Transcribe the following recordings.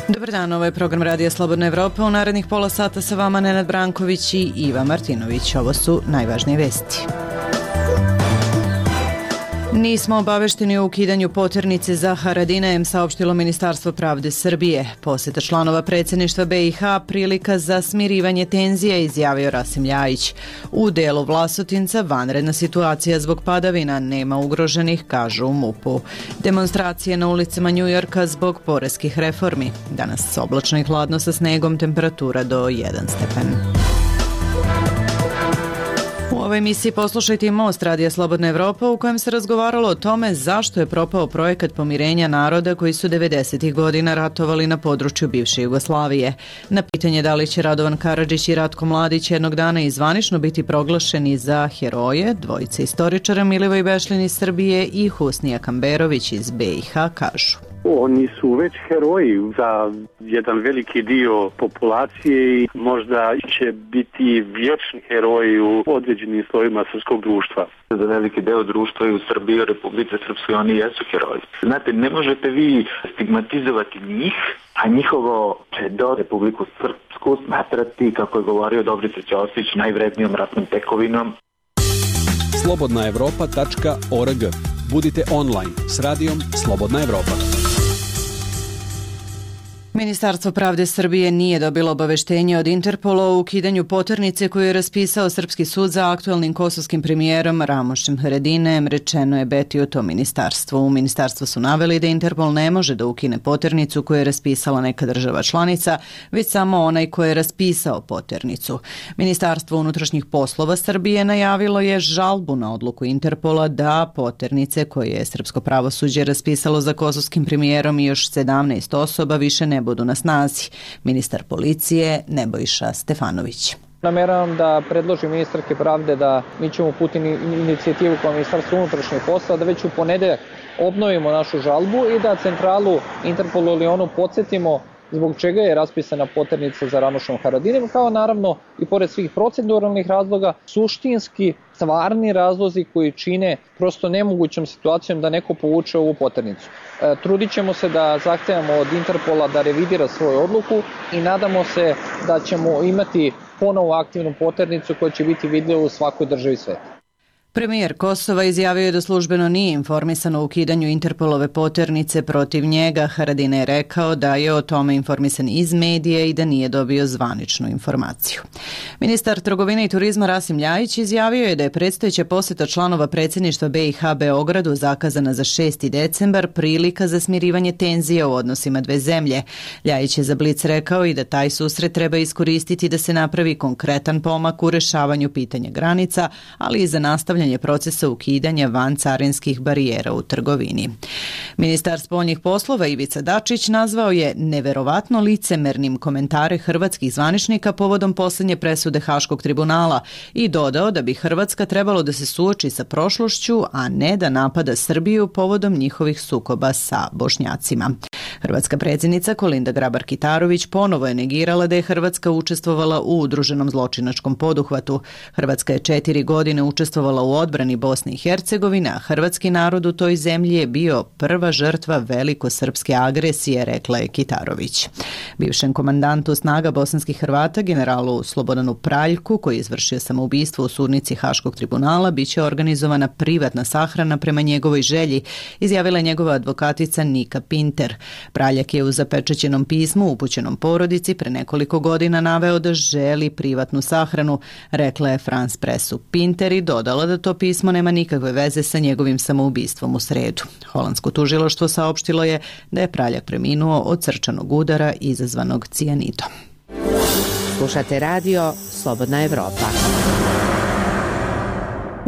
Dobar dan, ovo je program Radija Slobodna Evropa. U narednih pola sata sa vama Nenad Branković i Iva Martinović. Ovo su najvažnije vesti. Nismo obavešteni o ukidanju poternice za Haradinajem, saopštilo Ministarstvo pravde Srbije. Poseta članova predsjedništva BiH prilika za smirivanje tenzija, izjavio Rasim Ljajić. U delu Vlasotinca vanredna situacija zbog padavina, nema ugroženih, kažu u MUP-u. Demonstracije na ulicama Njujorka zbog poreskih reformi. Danas oblačno i hladno sa snegom, temperatura do 1 stepen. U ovoj emisiji poslušajte i Most Radija Slobodna Evropa, u kojem se razgovaralo o tome zašto je propao projekat pomirenja naroda koji su 90. godina ratovali na području bivše Jugoslavije. Na pitanje da li će Radovan Karadžić i Ratko Mladić jednog dana i zvanično biti proglašeni za heroje, dvojice istoričara Milivoj Bešlin iz Srbije i Husnija Kamberović iz BiH kažu. Oni su već heroji za jedan veliki dio populacije i možda će biti vječni heroji u određenim slojima srpskog društva. Za veliki deo društva i u Srbiji, u Republike Srpskoj, oni jesu heroji. Znate, ne možete vi stigmatizovati njih, a njihovo do Republiku Srpsku smatrati, kako je govorio Dobrica Ćosić, najvrednijom ratnom tekovinom. slobodnaevropa.org. Budite online s radijom Slobodna Evropa. Ministarstvo pravde Srbije nije dobilo obaveštenje od Interpola o ukidanju poternice koju je raspisao Srpski sud za aktualnim kosovskim premijerom Ramošem Haradinajem, rečeno je Beti u tom ministarstvu. U ministarstvu su naveli da Interpol ne može da ukine poternicu koju je raspisala neka država članica, već samo onaj koji je raspisao poternicu. Ministarstvo unutrašnjih poslova Srbije najavilo je žalbu na odluku Interpola da poternice koje je srpsko pravosuđe raspisalo za kosovskim premijerom i još 17 osoba više ne budu na snazi. Ministar policije Nebojša Stefanović. Nameravam da predložim ministarke pravde da mi ćemo uputiti inicijativu kao Ministarstvo unutrašnjih poslova da već u ponedeljak obnovimo našu žalbu i da centralu Interpolu ili onu podsjetimo zbog čega je raspisana poternica za Ramošom Haradinajem, kao naravno i pored svih proceduralnih razloga, suštinski stvarni razlozi koji čine prosto nemogućom situacijom da neko povuče ovu poternicu. Trudit ćemo se da zahtevamo od Interpola da revidira svoju odluku i nadamo se da ćemo imati ponovo aktivnu poternicu koja će biti vidljiva u svakoj državi sveta. Premijer Kosova izjavio je da službeno nije informisan o ukidanju Interpolove poternice protiv njega. Haradinaj je rekao da je o tome informisan iz medija i da nije dobio zvaničnu informaciju. Ministar trgovine i turizma Rasim Ljajić izjavio je da je predstojeća poseta članova predsjedništva BiH Beogradu zakazana za 6. decembar prilika za smirivanje tenzija u odnosima dve zemlje. Ljajić je za Blic rekao i da taj susret treba iskoristiti da se napravi konkretan pomak u rešavanju pitanja granica, ali i za nastavljanje procesa ukidanja vancarinskih barijera u trgovini. Ministar spoljnih poslova Ivica Dačić nazvao je neverovatno licemernim komentare hrvatskih zvaničnika povodom posljednje presude Haškog tribunala i dodao da bi Hrvatska trebalo da se suoči sa prošlošću, a ne da napada Srbiju povodom njihovih sukoba sa Bošnjacima. Hrvatska predsjednica Kolinda Grabar-Kitarović ponovo je negirala da je Hrvatska učestvovala u udruženom zločinačkom poduhvatu. Hrvatska je 4 godine učestvovala u odbrani Bosne i Hercegovine, a hrvatski narod u toj zemlji je bio prva žrtva velikosrpske agresije, rekla je Kitarović. Bivšem komandantu snaga bosanskih Hrvata, generalu Slobodanu Praljku, koji je izvršio samoubistvo u sudnici Haškog tribunala, biće organizovana privatna sahrana prema njegovoj želji, izjavila je njegova advokatica Nika Pinter. Praljak je u zapečaćenom pismu upućenom porodici pre nekoliko godina naveo da želi privatnu sahranu, rekla je France Pressu Pinter i dodala da to pismo nema nikakve veze sa njegovim samoubistvom u sredu. Holandsko tužilaštvo saopštilo je da je Praljak preminuo od srčanog udara izazvanog cijanidom. Slušate radio Slobodna Evropa.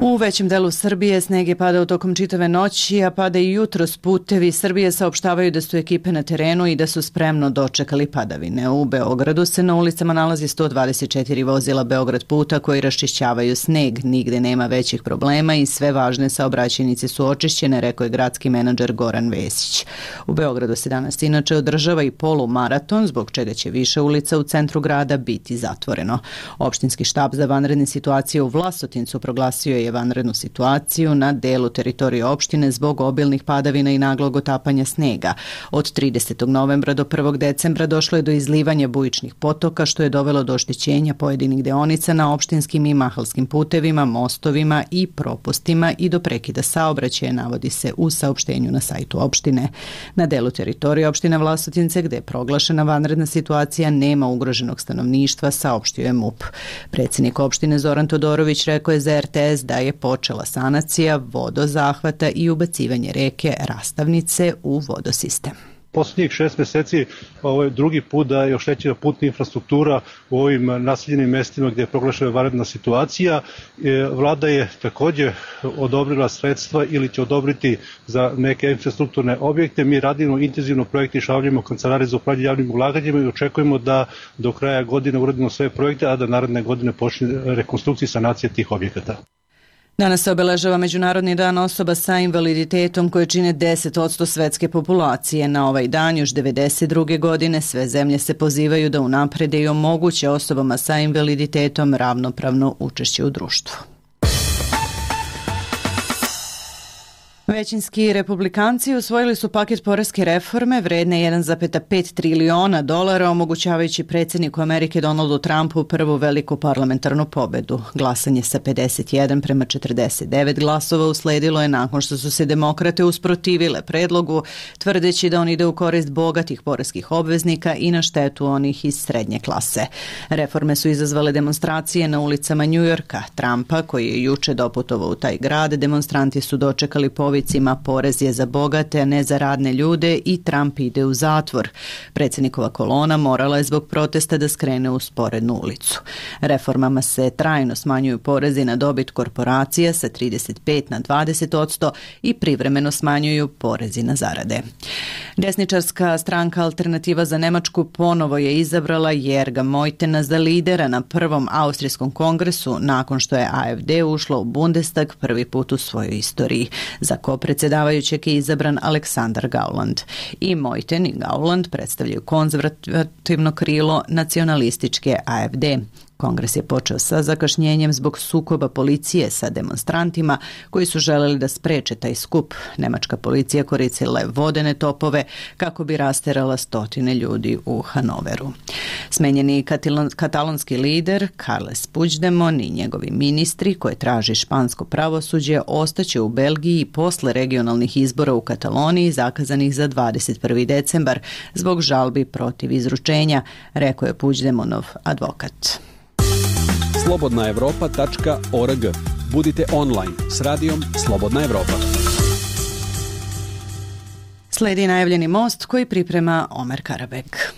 U većem delu Srbije sneg je padao tokom čitave noći, a pada i jutros. Putevi Srbije saopštavaju da su ekipe na terenu i da su spremno dočekali padavine. U Beogradu se na ulicama nalazi 124 vozila Beograd puta koji raščišćavaju sneg. Nigde nema većih problema i sve važne saobraćajnice su očišćene, rekao je gradski menadžer Goran Vesić. U Beogradu se danas inače održava i polumaraton, zbog čega će više ulica u centru grada biti zatvoreno. Opštinski štab za vanredne situacije u Vlasotincu proglasio je vanrednu situaciju na delu teritorije opštine zbog obilnih padavina i naglog otapanja snega. Od 30. novembra do 1. decembra došlo je do izlivanja bujičnih potoka, što je dovelo do oštećenja pojedinih deonica na opštinskim i mahalskim putevima, mostovima i propustima i do prekida saobraćaja, navodi se u saopštenju na sajtu opštine. Na delu teritorije opštine Vlasotince, gde je proglašena vanredna situacija, nema ugroženog stanovništva, saopštio je MUP. Predsjednik opštine Zoran Todorović rekao je za RTS da je počela sanacija vodozahvata i ubacivanje reke Rastavnice u vodosistem. Poslednjih 6 meseci ovo je drugi put da je oštećena putna infrastruktura u ovim naseljenim mestima gdje je proglašena vanredna situacija. Vlada je također odobrila sredstva ili će odobriti za neke infrastrukturne objekte. Mi radimo intenzivno projekte i šaljemo kancelarije za upravljanje javnim ulaganjima i očekujemo da do kraja godine uradimo sve projekte, a da naredne godine počne rekonstrukcija i sanacija tih objekata. Danas se obeležava Međunarodni dan osoba sa invaliditetom koje čine 10% svetske populacije. Na ovaj dan još 1992. godine sve zemlje se pozivaju da unaprede i omoguće osobama sa invaliditetom ravnopravno učešće u društvu. Većinski republikanci usvojili su paket poreske reforme vredne 1,5 triliona dolara, omogućavajući predsjedniku Amerike Donaldu Trumpu prvu veliku parlamentarnu pobedu. Glasanje sa 51:49 glasova usledilo je nakon što su se demokrate usprotivile predlogu, tvrdeći da on ide u korist bogatih poreskih obveznika i na štetu onih iz srednje klase. Reforme su izazvale demonstracije na ulicama Njujorka. Trumpa, koji je juče doputovao u taj grad, demonstranti su dočekali povicima porez je za bogate, a ne za radne ljude i Trump ide u zatvor. Predsjednikova kolona morala je zbog protesta da skrene u sporednu ulicu. Reformama se trajno smanjuju porezi na dobit korporacija sa 35 na 20% i privremeno smanjuju porezi na zarade. Desničarska stranka Alternativa za Nemačku ponovo je izabrala Jerga Mojtena za lidera na prvom austrijskom kongresu nakon što je AfD ušla u Bundestag prvi put u svojoj istoriji. Za kopredsjedavajućeg je izabran Aleksandar Gauland. I Mojten i Gauland predstavljaju konzervativno krilo nacionalističke AfD. Kongres je počeo sa zakašnjenjem zbog sukoba policije sa demonstrantima koji su želeli da spreče taj skup. Nemačka policija koristila je vodene topove kako bi rasterala stotine ljudi u Hanoveru. Smenjeni katalonski lider Carles Puigdemont i njegovi ministri koje traži špansko pravosuđe ostaće u Belgiji posle regionalnih izbora u Kataloniji zakazanih za 21. decembar zbog žalbi protiv izručenja, rekao je Puigdemontov advokat. slobodnaevropa.org. Budite online s radijom Slobodna Evropa. Sledi najavljeni most koji priprema Omer Karabek.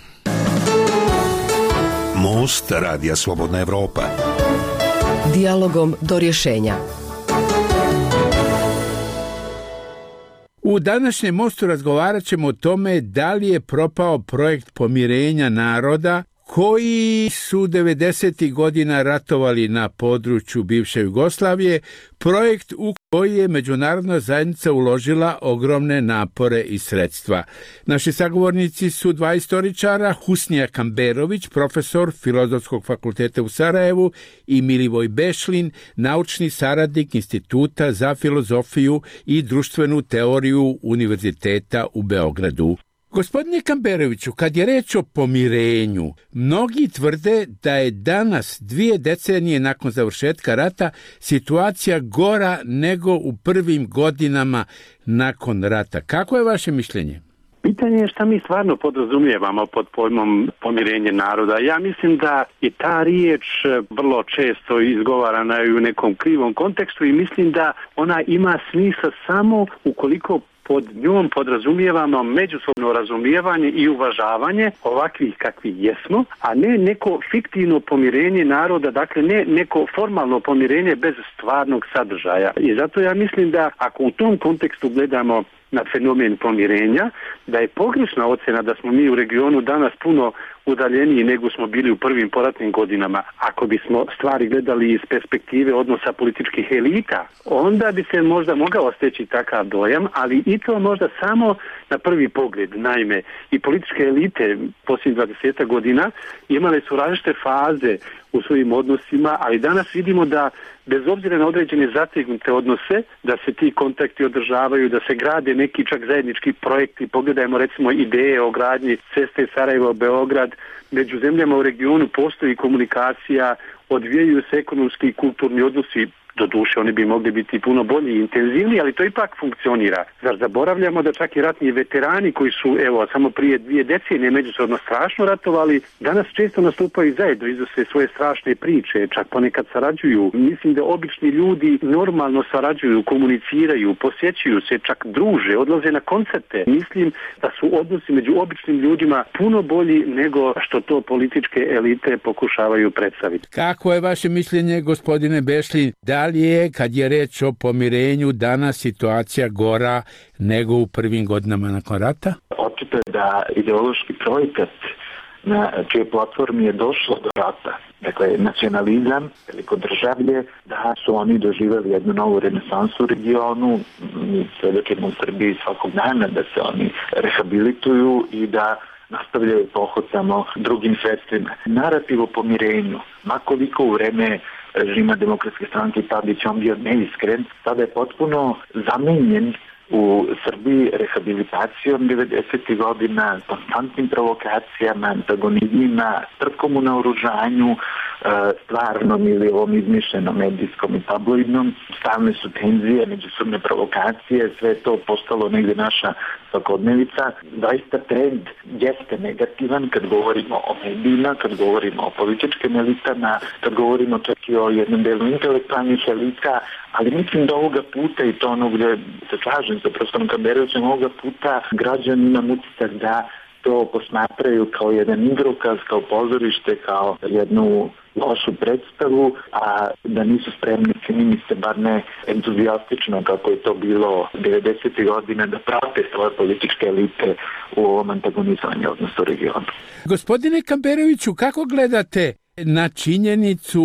Most radija Slobodna Evropa. Dijalogom do rješenja. U današnjem mostu razgovarat ćemo o tome da li je propao projekt pomirenja naroda koji su 90. godina ratovali na području bivše Jugoslavije, projekt u koji je međunarodna zajednica uložila ogromne napore i sredstva. Naši sagovornici su dva istoričara, Husnija Kamberović, profesor Filozofskog fakulteta u Sarajevu, i Milivoj Bešlin, naučni saradnik Instituta za filozofiju i društvenu teoriju Univerziteta u Beogradu. Gospodine Kamberoviću, kad je reč o pomirenju, mnogi tvrde da je danas, 2 decenije nakon završetka rata, situacija gora nego u prvim godinama nakon rata. Kako je vaše mišljenje? Pitanje je šta mi stvarno podrazumijevamo pod pojmom pomirenje naroda. Ja mislim da je ta riječ vrlo često izgovarana u nekom krivom kontekstu i mislim da ona ima smisla samo ukoliko pod njom podrazumijevamo međusobno razumijevanje i uvažavanje ovakvih kakvi jesmo, a ne neko fiktivno pomirenje naroda, dakle ne neko formalno pomirenje bez stvarnog sadržaja. I zato ja mislim da ako u tom kontekstu gledamo na fenomen pomirenja, da je pogrešna ocjena da smo mi u regionu danas puno udaljeniji nego smo bili u prvim poratnim godinama. Ako bismo stvari gledali iz perspektive odnosa političkih elita, onda bi se možda mogao steći takav dojam, ali i to možda samo na prvi pogled. Naime, i političke elite posljednjih 20 godina imale su različite faze u svojim odnosima, ali danas vidimo da bez obzira na određene zategnute odnose, da se ti kontakti održavaju, da se grade neki čak zajednički projekti. Pogledajmo recimo ideje o gradnji ceste Sarajevo-Beograd. Među zemljama u regionu postoji komunikacija, odvijaju se ekonomski i kulturni odnosi. Doduše, oni bi mogli biti puno bolji i intenzivniji, ali to ipak funkcionira. Zar zaboravljamo da čak i ratni veterani koji su, samo prije 2 decenije međusobno strašno ratovali, danas često nastupaju zajedno, iznose svoje strašne priče, čak ponekad sarađuju. Mislim da obični ljudi normalno sarađuju, komuniciraju, posjećuju se, čak druže, odlaze na koncerte. Mislim da su odnosi među običnim ljudima puno bolji nego što to političke elite pokušavaju predstaviti. Kako je vaše mišljenje, gospodine Bešlin, da li je, kad je reč o pomirenju, danas situacija gora nego u prvim godinama nakon rata? Očito je da ideološki projekat na čije platformi je došlo do rata, dakle nacionalizam, velikodržavlje, da su oni doživjeli jednu novu renesansu u regionu, mi svedočimo u Srbiji svakog dana da se oni rehabilituju i da nastavljaju pohod samo drugim sredstvima. Narativ o pomirenju, makoliko u vreme režima Demokratske stranke Tadić on bio neiskren, sada je potpuno zamenjen u Srbiji rehabilitacijom 90. godina, konstantnim provokacijama, antagonizmima, trkom u naoružanju, stvarnom ili ovom izmišljenom medijskom i tabloidnom. Stalne su tenzije, međusobne provokacije, sve to postalo negdje naša svakodnevica. Zaista trend jeste negativan kad govorimo o medijima, kad govorimo o političkim elitama, kad govorimo čak i o jednom delu intelektualnih elita, ali mislim da ovoga puta, i to ono gdje se slažem sa profesorom Kamberovićem, ovoga puta građani imam utisak da to posmatraju kao jedan igrokaz, kao pozorište, kao jednu lošu predstavu, a da nisu spremni, čini mi se, bar ne entuzijastično kako je to bilo 90. godina, da prate svoje političke elite u ovom antagonizovanju odnosu regionu. Gospodine Kamberoviću, kako gledate na činjenicu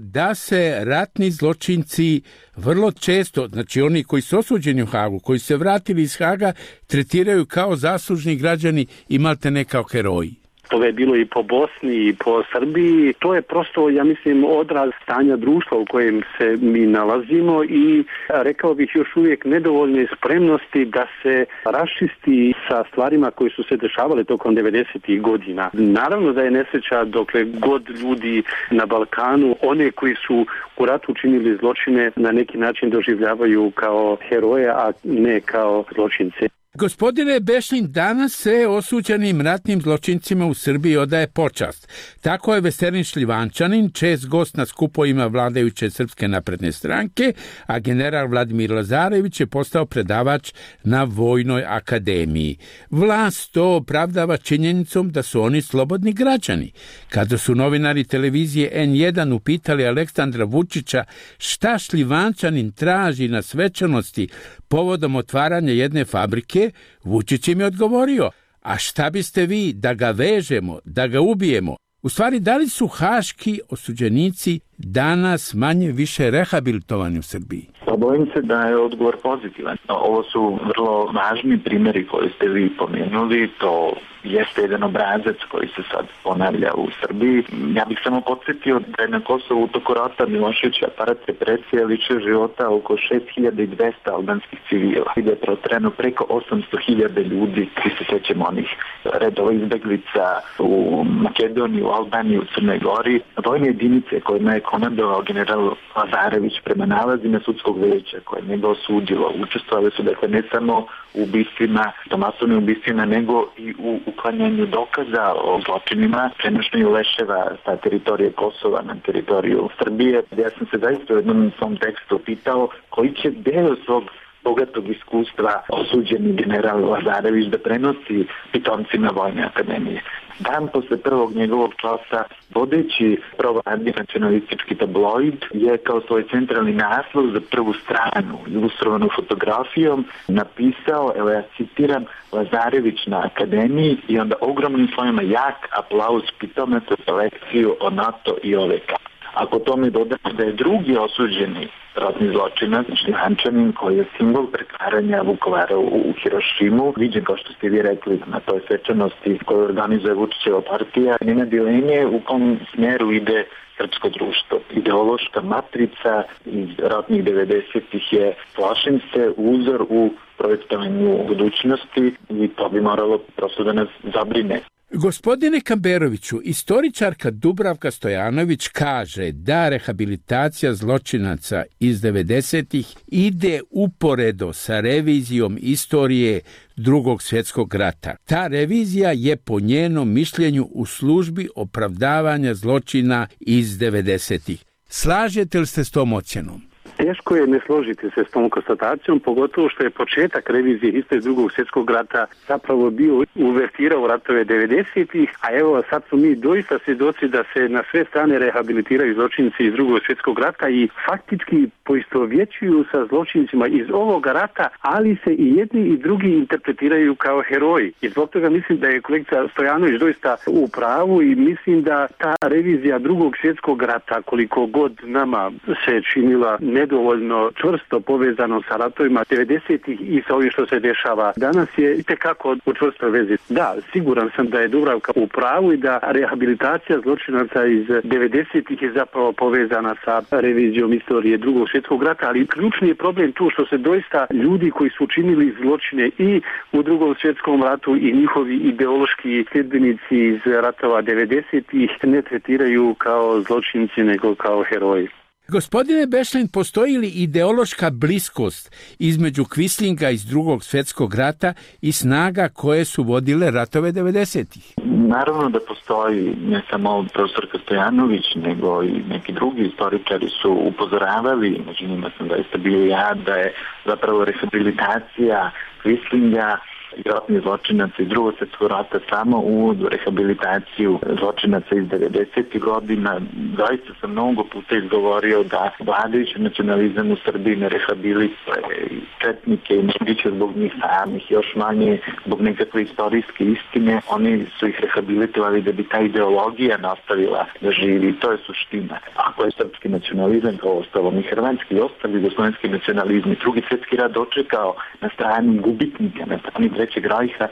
da se ratni zločinci vrlo često, znači oni koji su osuđeni u Hagu, koji se vratili iz Haga, tretiraju kao zaslužni građani i maltene kao heroji? To je bilo i po Bosni i po Srbiji. To je prosto, ja mislim, odraz stanja društva u kojem se mi nalazimo i rekao bih još uvijek nedovoljne spremnosti da se raščisti sa stvarima koje su se dešavale tokom 90. godina. Naravno da je nesreća dokle god ljudi na Balkanu, one koji su u ratu učinili zločine, na neki način doživljavaju kao heroje, a ne kao zločince. Gospodine Bešlin, danas se osuđenim ratnim zločincima u Srbiji odaje počast. Tako je Veselin Šljivančanin, čest gost na skupovima vladajuće Srpske napredne stranke, a general Vladimir Lazarević je postao predavač na Vojnoj akademiji. Vlast to opravdava činjenicom da su oni slobodni građani. Kada su novinari televizije N1 upitali Aleksandra Vučića šta Šljivančanin traži na svečanosti povodom otvaranja jedne fabrike, Vučić im je odgovorio: a šta biste vi da ga vežemo, da ga ubijemo? U stvari, da li su haški osuđenici danas manje više rehabilitovani u Srbiji? Bojim se da je odgovor pozitivan. Ovo su vrlo važni primjeri koji ste vi pomenuli, to jeste jedan obrazac koji se sad ponavlja u Srbiji. Ja bih samo podsjetio da je na Kosovu u toku rata Milošević aparat represije ličio života oko 6200 albanskih civila. I da je protreno preko 800.000 ljudi, svi se sjećamo onih redova izbeglica u Makedoniji, u Albaniji, u Crnoj Gori. Vojne jedinice kojima je komandovao general Lazarević prema nalazima sudskog veća koje je njega osudilo, učestvovali su dakle ne samo u ubistvima, masovnim ubistvima, nego i u uklanjanju dokaza o zločinima, prenošenju leševa sa teritorije Kosova na teritoriju Srbije. Ja sam se zaista u jednom svom tekstu pitao koji će deo svog bogatog iskustva osuđeni general Lazarević da prenosi pitomcima Vojne akademije. Dan posle prvog njegovog časa, vodeći provladni nacionalistički tabloid je kao svoj centralni naslov za prvu stranu, ilustrovanu fotografijom, napisao, evo ja citiram, Lazarević na akademiji i onda ogromnim slovima jak aplauz pitomaca za lekciju o NATO i OVK. Ako tome dodamo da je drugi osuđeni ratni zločinac, Šljančanin, koji je simbol pretvaranja Vukovara u Hirošimu, viđen, kao što ste vi rekli, na toj svečanosti koju organizuje Vučićeva partija, nema dileme u kom smjeru ide srpsko društvo. Ideološka matrica iz ratnih 90-ih je, plašim se, uzor u projektovanju budućnosti i to bi moralo prosto da nas zabrine. Gospodine Kamberoviću, istoričarka Dubravka Stojanović kaže da rehabilitacija zločinaca iz 90-ih ide uporedo sa revizijom istorije Drugog svjetskog rata. Ta revizija je po njenom mišljenju u službi opravdavanja zločina iz 90-ih. Slažete li se s tom ocjenom? Teško je ne složiti se s tom konstatacijom, pogotovo što je početak revizije istorije Drugog svjetskog rata zapravo bio uvertira u ratove 90-ih, a evo sad su mi doista svjedoci da se na sve strane rehabilitiraju zločinci iz Drugog svjetskog rata i faktički poistovjećuju sa zločincima iz ovoga rata, ali se i jedni i drugi interpretiraju kao heroji. I zbog toga mislim da je kolegica Stojanović doista u pravu i mislim da ta revizija Drugog svjetskog rata, koliko god nama se činila nedovoljno čvrsto povezano sa ratovima 90-ih i sa ovim što se dešava danas, je itekako u čvrstoj vezi. Da, siguran sam da je Dubravka u pravu i da rehabilitacija zločinaca iz 90-ih je zapravo povezana sa revizijom istorije Drugog svjetskog rata, ali ključni je problem tu što se doista ljudi koji su učinili zločine i u Drugom svjetskom ratu i njihovi ideološki sljedbenici iz ratova 90-ih ne tretiraju kao zločinci nego kao heroji. Gospodine Bešlin, postoji li ideološka bliskost između Quislinga iz Drugog svjetskog rata i snaga koje su vodile ratove 90-ih? Naravno da postoji, ne samo profesorka Stojanović, nego i neki drugi istoričari su upozoravali, među njima sam zaista bio ja, da je zapravo rehabilitacija Quislinga i ratnih zločinaca iz Drugog svjetskog rata samo uvod u rehabilitaciju zločinaca iz 90. godina. Zaista sam mnogo puta izgovorio da vladajući nacionalizam u Srbiji ne rehabilituje četnike i nebiće zbog njih samih, još manje zbog nekakve istorijske istine. Oni su ih rehabilitovali da bi ta ideologija nastavila da živi. To je suština. Ako je srpski nacionalizam, kao ostalo i hrvatski i ostali jugoslovenski nacionalizmi, Drugi svjetski rat dočekao na strani gubitnika, na strani Trećeg rajha,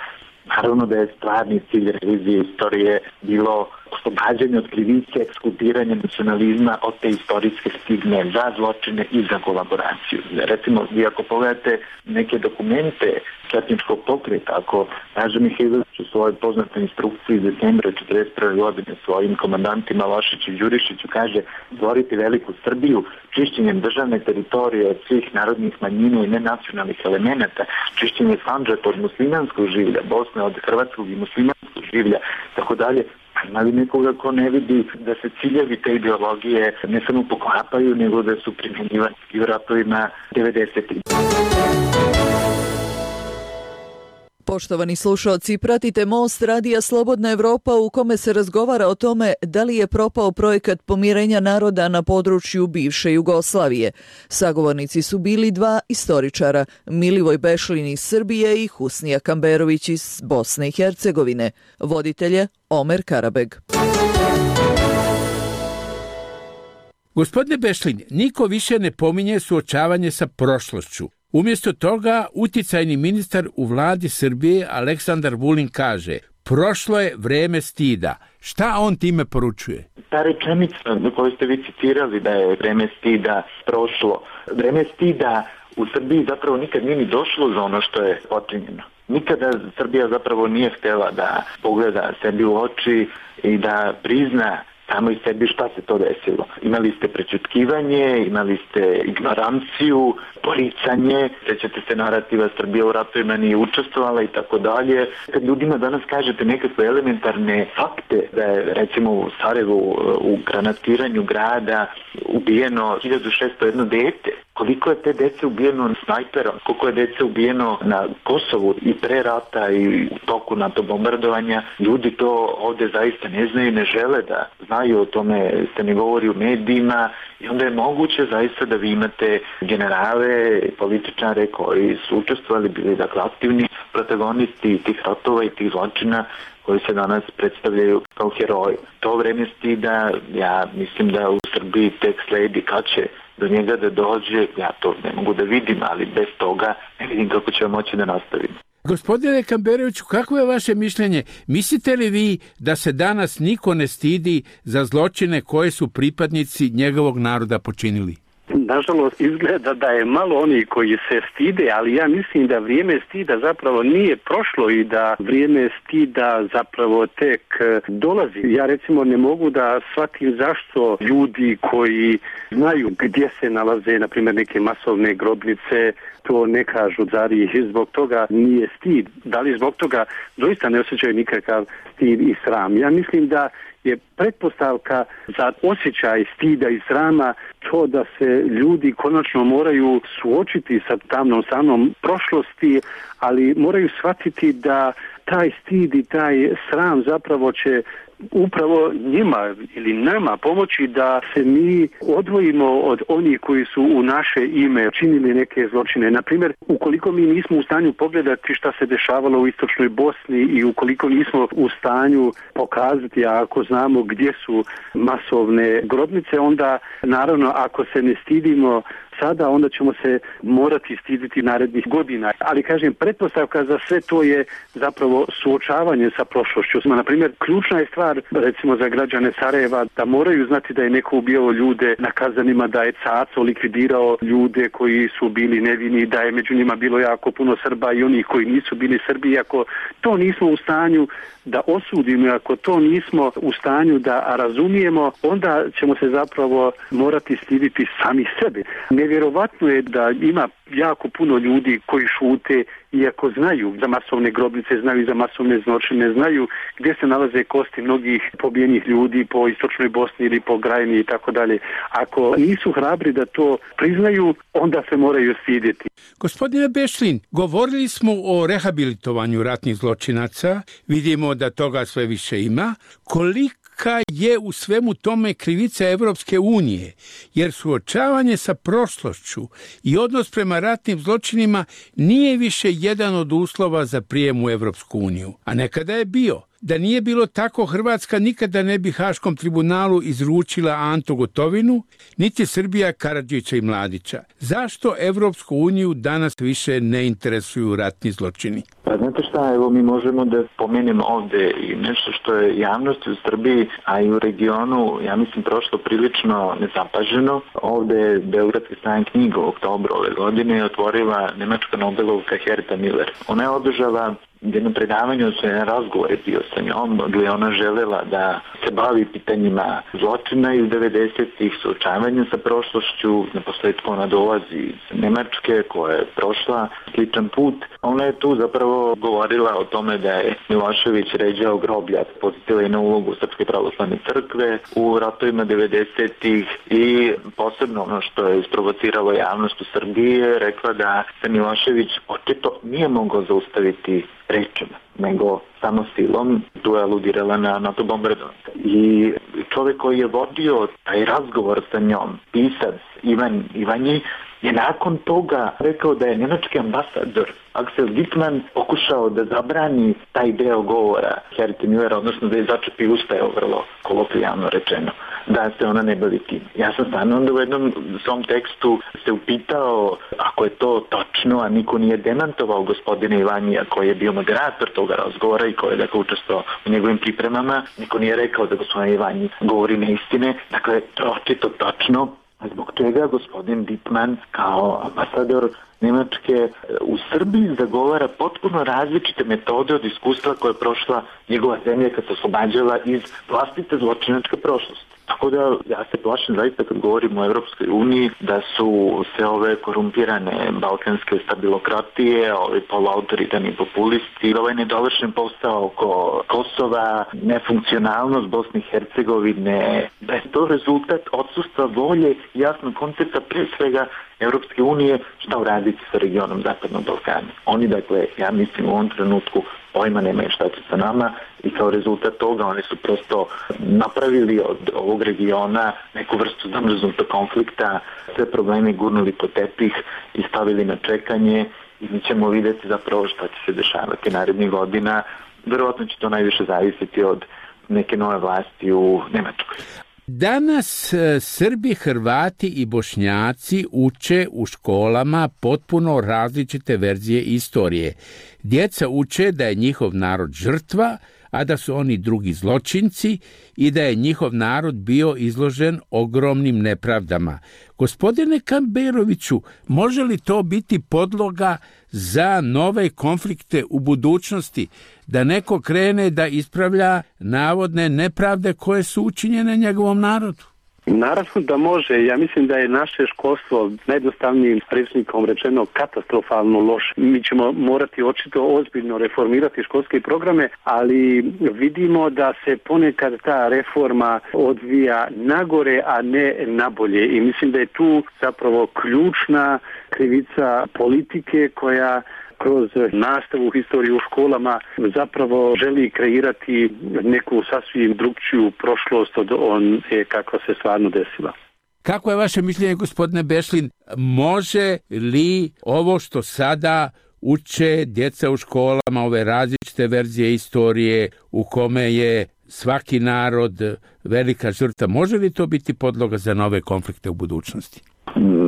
naravno da je stvarni cilj revizije istorije bilo oslobađanje od krivice, ekskulpiranje nacionalizma od te istorijske stigme za zločine i za kolaboraciju. Recimo, vi ako pogledate neke dokumente četničkog pokreta, ako Naža Mihajlović u svojoj poznatoj instrukciji iz decembra 1941. godine svojim komandantima Lošiću i Đurišiću kaže stvoriti veliku Srbiju čišćenjem državne teritorije od svih narodnih manjina i nenacionalnih elemenata, čišćenje Sandžaka od muslimanskog življa, Bosne od hrvatskog i muslimanskog življa, tako dalje. Ima li nekoga ko ne vidi da se ciljevi te ideologije ne samo poklapaju, nego da su primjenjivani i u ratovima 90-ih? Poštovani slušalci, pratite Most radija Slobodna Evropa u kome se razgovara o tome da li je propao projekat pomirenja naroda na području bivše Jugoslavije. Sagovornici su bili dva istoričara, Milivoj Bešlin iz Srbije i Husnija Kamberović iz Bosne i Hercegovine. Voditelje Omer Karabeg. Gospodine Bešlin, niko više ne pominje suočavanje sa prošlošću. Umjesto toga, uticajni ministar u vladi Srbije Aleksandar Vulin kaže: prošlo je vreme stida. Šta on time poručuje? Ta rečenica koju ste vi citirali da je vreme stida prošlo. Vreme stida u Srbiji zapravo nikad nije ni došlo za ono što je počinjeno. Nikada Srbija zapravo nije htjela da pogleda sebi u oči i da prizna samo i sebi šta se to desilo. Imali ste prečutkivanje, imali ste ignoranciju, poricanje, sećate se narativa Srbija u ratovima nije učestvovala i tako dalje. Kad ljudima danas kažete nekakve elementarne fakte da je recimo u Sarajevu u granatiranju grada ubijeno 1601 dete, koliko je te dece ubijeno snajperom, koliko je dece ubijeno na Kosovu i pre rata i u toku NATO bombardovanja. Ljudi to ovde zaista ne znaju, ne žele da znaju, o tome se ne govori u medijima i onda je moguće zaista da vi imate generale, političare koji su učestvovali, bili dakle aktivni protagonisti tih ratova i tih zločina koji se danas predstavljaju kao heroji. To vreme stida, ja mislim da u Srbiji tek sledi kad će do njega da dođe, ja to ne mogu da vidim, ali bez toga ne vidim kako ćemo moći da nastavimo. Gospodine Kamberoviću, kako je vaše mišljenje? Mislite li vi da se danas niko ne stidi za zločine koje su pripadnici njegovog naroda počinili? Nažalost, izgleda da je malo oni koji se stide, ali ja mislim da vrijeme stida zapravo nije prošlo i da vrijeme stida zapravo tek dolazi. Ja recimo ne mogu da shvatim zašto ljudi koji znaju gdje se nalaze, na primjer, neke masovne grobnice, to ne kažu, zari i zbog toga nije stid. Da li zbog toga doista ne osjećaju nikakav stid i sram? Ja mislim da je pretpostavka za osjećaj stida i srama to da se ljudi konačno moraju suočiti sa tamnom stranom prošlosti, ali moraju shvatiti da taj stid i taj sram zapravo će upravo njima ili nama pomoći da se mi odvojimo od onih koji su u naše ime činili neke zločine. Naprimjer, ukoliko mi nismo u stanju pogledati šta se dešavalo u istočnoj Bosni i ukoliko nismo u stanju pokazati, a ako znamo gdje su masovne grobnice, onda naravno ako se ne stidimo sada, onda ćemo se morati stiditi narednih godina. Ali kažem, pretpostavka za sve to je zapravo suočavanje sa prošlošću. Na primjer, ključna je stvar, recimo za građane Sarajeva, da moraju znati da je neko ubijao ljude na Kazanima, da je Caco likvidirao ljude koji su bili nevini, da je među njima bilo jako puno Srba i onih koji nisu bili Srbi. Ako to nismo u stanju da osudimo, ako to nismo u stanju da razumijemo, onda ćemo se zapravo morati stiditi sami sebe. Nevjerovatno je da ima jako puno ljudi koji šute, iako znaju za masovne grobnice, znaju za masovne zločine, znaju gdje se nalaze kosti mnogih pobijenih ljudi po istočnoj Bosni ili po Krajini i tako dalje. Ako nisu hrabri da to priznaju, onda se moraju stidjeti. Gospodine Bešlin, govorili smo o rehabilitovanju ratnih zločinaca, vidimo da toga sve više ima. Kolika je u svemu tome krivica Evropske unije, jer suočavanje sa prošlošću i odnos prema ratnim zločinima nije više jedan od uslova za prijem u Evropsku uniju, a nekada je bio. Da nije bilo tako, Hrvatska nikada ne bi Haškom tribunalu izručila Antu Gotovinu, niti Srbija Karadžića i Mladića. Zašto Evropsku uniju danas više ne interesuju ratni zločini? Pa znate šta, evo mi možemo da pomenemo ovde i nešto što je javnosti u Srbiji, a i u regionu, ja mislim, prošlo prilično nezapaženo. Ovde je Beogradski sajam knjiga u oktobru ove godine otvorila nemačka Nobelovka Herta Miller. Ona je održala jedno predavanje, odnosno jedan razgovor je bio sa njom, gdje ona želela da se bavi pitanjima zločina iz 90-ih, suočavanja sa prošlošću. Na posledku ona dolazi iz Nemačke koja je prošla sličan put. Ona je tu zapravo govorila o tome da je Milošević ređao groblja, podsjetila je na ulogu Srpske pravoslavne crkve u ratovima 90-ih i posebno ono što je isprovociralo javnost u Srbiji, rekla da se Milošević očito nije mogao zaustaviti rečima, nego samo silom. Tu je aludirala na NATO bombardovanje. I čovjek koji je vodio taj razgovor sa njom, pisac Ivan Ivanji, je nakon toga rekao da je nemački ambasador Axel Wittmann pokušao da zabrani taj deo govora Herti Millera, odnosno da je začepi usta, je vrlo kolokvijalno rečeno, da se ona ne bavi tim. Ja sam stvarno onda u jednom svom tekstu se upitao ako je to točno, a niko nije demantovao gospodina Ivanija koji je bio moderator toga razgovora i koji je dakle učestvovao u njegovim pripremama. Niko nije rekao da gospodin Ivanji govori neistine. Dakle, to je očito točno. Zbog čega gospodin Wittmann kao ambasador Nemačke u Srbiji zagovara potpuno različite metode od iskustva koje je prošla njegova zemlja kad se oslobađala iz vlastite zločinačke prošlosti. Tako da ja se plašim zaista kad govorimo o Evropskoj uniji da su sve ove korumpirane balkanske stabilokratije, ovi poluautoritarni populisti, ovaj nedovršen posao oko Kosova, nefunkcionalnost Bosne i Hercegovine, da je to rezultat odsustva volje jasnog koncepta pre svega Europske unije, šta uraditi sa regionom Zapadnog Balkana. Oni, dakle, ja mislim u ovom trenutku pojma nemaju šta će sa nama i kao rezultat toga oni su prosto napravili od ovog regiona neku vrstu zamrznutog konflikta, sve probleme gurnuli po tepih i stavili na čekanje i mi ćemo vidjeti zapravo šta će se dešavati narednih godina. Verovatno će to najviše zavisiti od neke nove vlasti u Nemačkoj. Danas Srbi, Hrvati i Bošnjaci uče u školama potpuno različite verzije istorije. Djeca uče da je njihov narod žrtva, a da su oni drugi zločinci i da je njihov narod bio izložen ogromnim nepravdama. Gospodine Kamberoviću, može li to biti podloga za nove konflikte u budućnosti, da neko krene da ispravlja navodne nepravde koje su učinjene njegovom narodu? Naravno da može. Ja mislim da je naše školstvo najjednostavnijim rečnikom rečeno katastrofalno loše. Mi ćemo morati očito ozbiljno reformirati školske programe, ali vidimo da se ponekad ta reforma odvija nagore, a ne nabolje. I mislim da je tu zapravo ključna krivica politike koja kroz nastavu historiju u školama zapravo želi kreirati neku sasvim drugčiju prošlost od one kako se stvarno desila. Kako je vaše mišljenje, gospodine Bešlin, može li ovo što sada uče djeca u školama, ove različite verzije istorije u kome je svaki narod velika žrtva, može li to biti podloga za nove konflikte u budućnosti?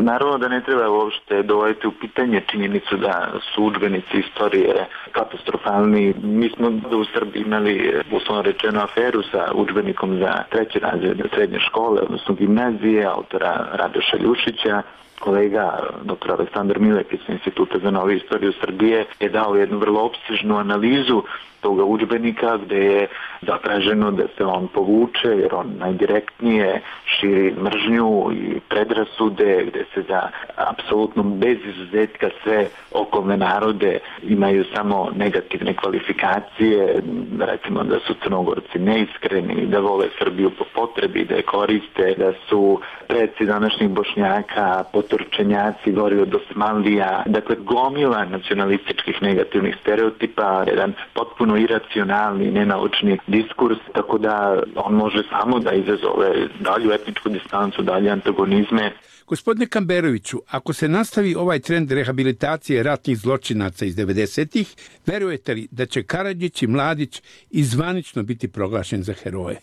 Naravno da ne treba uopšte dovoditi u pitanje činjenicu da su udžbenici istorije katastrofalni. Mi smo u Srbiji imali, uslovno rečeno, aferu sa udžbenikom za 3. razred srednje škole, odnosno gimnazije, autora Radoša Ljušića. Kolega dr. Aleksandar Milek iz Instituta za novu istoriju Srbije je dao jednu vrlo opsežnu analizu toga udžbenika gde je zatraženo da se on povuče jer on najdirektnije širi mržnju i predrasude, gde se za apsolutno bez izuzetka sve okolne narode imaju samo negativne kvalifikacije, recimo da su Crnogorci neiskreni, da vole Srbiju po potrebi, da je koriste, da su preci današnjih Bošnjaka, potorčenjaci, gori od Osmanlija, dakle gomila nacionalističkih negativnih stereotipa, jedan potpuno iracionalni, nenaučni diskurs, tako da on može samo da izazove dalju etničku distancu, dalje antagonizme. Gospodine Kamberoviću, ako se nastavi ovaj trend rehabilitacije ratnih zločinaca iz 90-ih, verujete li da će Karadžić i Mladić i zvanično biti proglašen za heroje?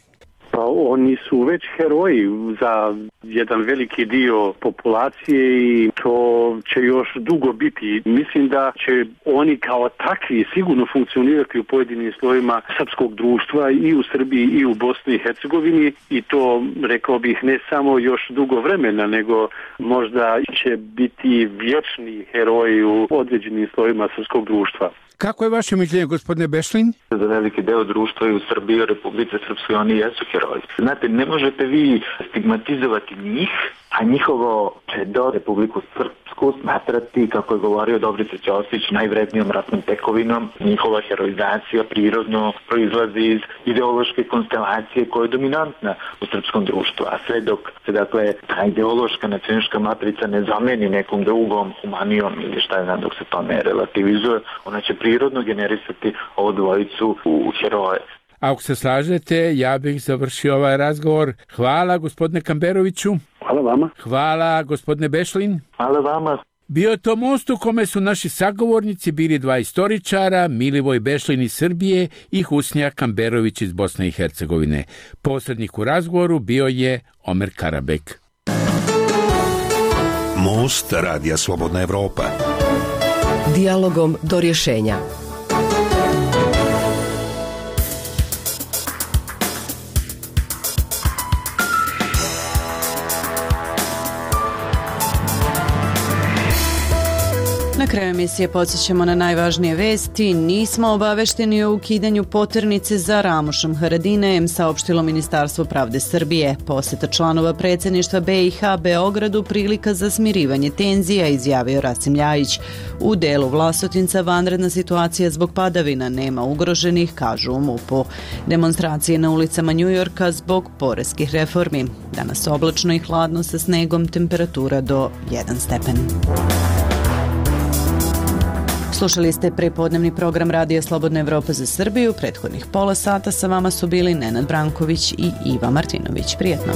Pa oni su već heroji za jedan veliki dio populacije i to će još dugo biti. Mislim da će oni kao takvi sigurno funkcionirati u pojedinim slojima srpskog društva i u Srbiji i u Bosni i Hercegovini i to, rekao bih, ne samo još dugo vremena, nego možda će biti vječni heroji u određenim slojima srpskog društva. Kako je vaše mišljenje, gospodine Bešlin? Za veliki deo društva i u Srbiji i u Republici Srpskoj oni jesu heroji. Znate, ne možete vi stigmatizovati njih, a njihovo do Republiku Srpsku smatrati, kako je govorio Dobrica Ćosić, najvrednijom ratnom tekovinom. Njihova heroizacija prirodno proizlazi iz ideološke konstelacije koja je dominantna u srpskom društvu, a sve dok se, dakle, ta ideološka nacionalistička matrica ne zameni nekom drugom humanijom ili šta je znam, dok se to ne relativizuje, ona će prirodno generisati ovu dvojicu u heroje. Ako se slažete, ja bih završio ovaj razgovor. Hvala, gospodine Kamberoviću. Hvala vama. Hvala, gospodine Bešlin. Hvala vama. Bio je to most u kome su naši sagovornici bili dva istoričara, Milivoj Bešlin iz Srbije i Husnija Kamberović iz Bosne i Hercegovine. Posrednik u razgovoru bio je Omer Karabek. Most Radija Slobodna Evropa. Dijalogom do rješenja. Na kraju emisije podsjećamo na najvažnije vesti. Nismo obavešteni o ukidanju poternice za Ramušom Haradinajem, saopštilo Ministarstvo pravde Srbije. Poseta članova predsjedništva BiH Beogradu prilika za smirivanje tenzija, izjavio Rasim Ljajić. U delu Vlasotinca vanredna situacija zbog padavina, nema ugroženih, kažu u MUP-u. Demonstracije na ulicama Njujorka zbog poreskih reformi. Danas oblačno i hladno sa snegom, temperatura do 1 stepen. Slušali ste prepodnevni program Radija Slobodna Evropa za Srbiju. Prethodnih pola sata sa vama su bili Nenad Branković i Iva Martinović. Prijetno.